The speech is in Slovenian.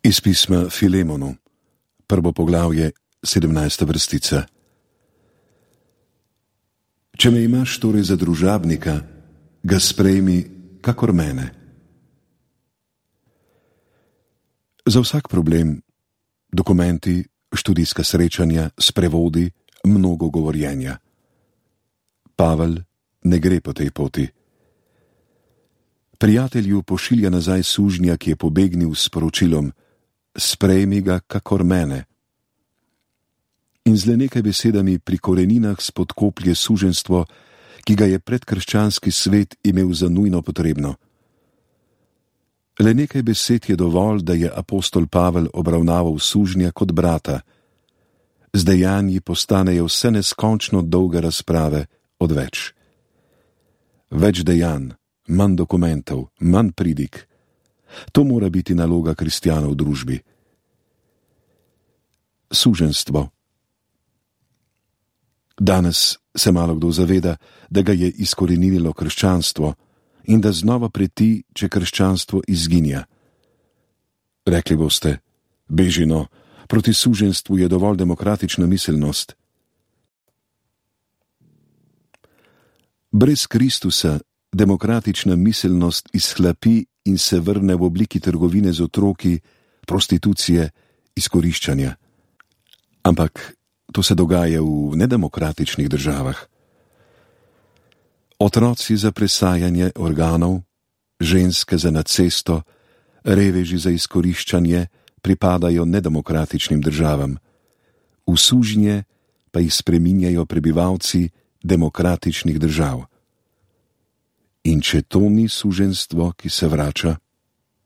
Iz pisma Filemonu, 1. poglavje, 17. vrstica. Če me imaš torej za družabnika, ga sprejmi kakor mene. Za vsak problem, dokumenti, študijska srečanja, sprevodi, mnogo govorjenja. Pavel ne gre po tej poti. Prijatelju pošilja nazaj sužnja, ki je pobegnil s sporočilom: sprejmi ga kakor mene. In z le nekaj besedami pri koreninah spodkoplje suženjstvo, ki ga je predkrščanski svet imel za nujno potrebno. Le nekaj besed je dovolj, da je apostol Pavel obravnaval sužnja kot brata. Z dejanji postanejo vse neskončno dolge razprave odveč. Več dejanj, manj dokumentov, manj pridig. To mora biti naloga kristjanov v družbi. Suženjstvo. Danes se malo kdo zaveda, da ga je izkoreninilo krščanstvo in da znova preti, če krščanstvo izginja. Rekli boste: bežino, proti suženjstvu je dovolj demokratična miselnost. Brez Kristusa demokratična miselnost izhlapi in se vrne v obliki trgovine z otroki, prostitucije, izkoriščanja. Ampak to se dogaja v nedemokratičnih državah. Otroci za presajanje organov, ženske za nacesto, reveži za izkoriščanje pripadajo nedemokratičnim državam. V sužnje pa jih spreminjajo prebivalci demokratičnih držav. In če to ni suženjstvo, ki se vrača,